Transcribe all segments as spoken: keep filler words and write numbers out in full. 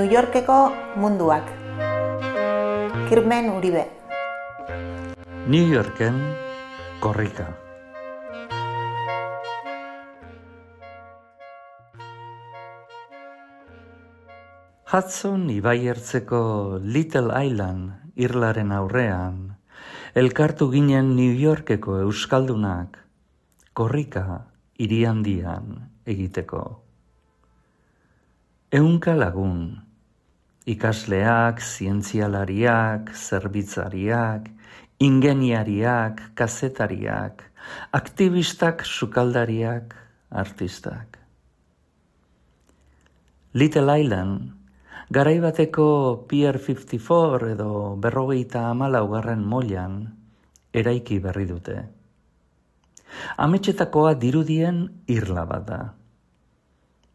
New Yorkeko munduak. Kirmen Uribe. New Yorken korrika. Hudson ibaiertzeko Little Island irlaren aurrean, elkartu ginen New Yorkeko euskaldunak korrika hiri handian egiteko. Ehunka lagun, ikasleak, zientzialariak, zerbitzariak, ingeniariak, kazetariak, aktivistak, sukaldariak, artistak. Little Island, garaibateko Pier fifty-four edo berrogeita hamalaugarren moilan eraiki berri dute. Ametsetakoa dirudien irla bat da.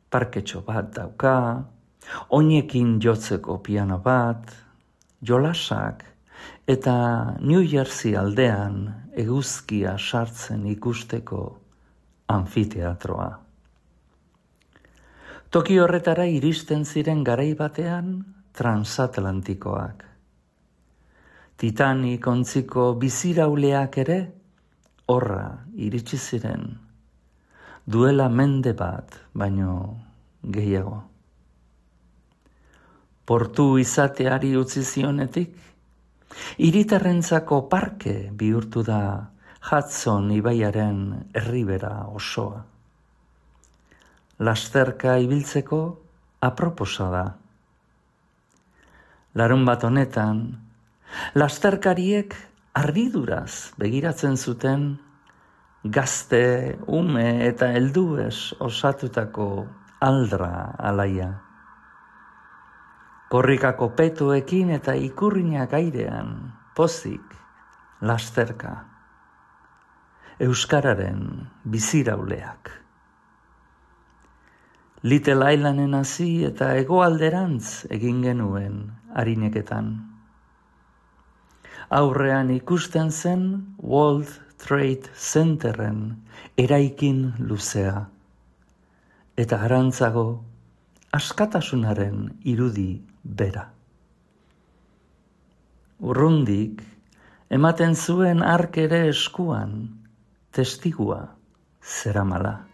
Parketxo bat dauka, oinekin jotzeko piano bat, jolasak eta New Jersey aldean eguzkia sartzen ikusteko anfiteatroa. Toki horretara iristen ziren garai batean transatlantikoak. Titanic ontziko bizirauleak ere horra iritsi ziren, duela mende bat baino gehiago. Portu izateari utzi zionetik, hiritarrentzako parke bihurtu da Hudson ibaiaren erribera osoa. Lasterka ibiltzeko aproposa da. Larun bat honetan, lasterkariek harriduraz begiratzen zuten gazte, ume eta helduez osatutako aldra alaia. Korrikako petuekin eta ikurrinak airean, pozik, lasterka. Euskararen bizirauleak. Little Islanden hasi eta hegoalderantz egin genuen harineketan. Aurrean ikusten zen World Trade Centeren eraikin luzea, eta arantzago askatasunaren irudi bera. Urrundik ematen zuen ark ere eskuan testigua zeramala.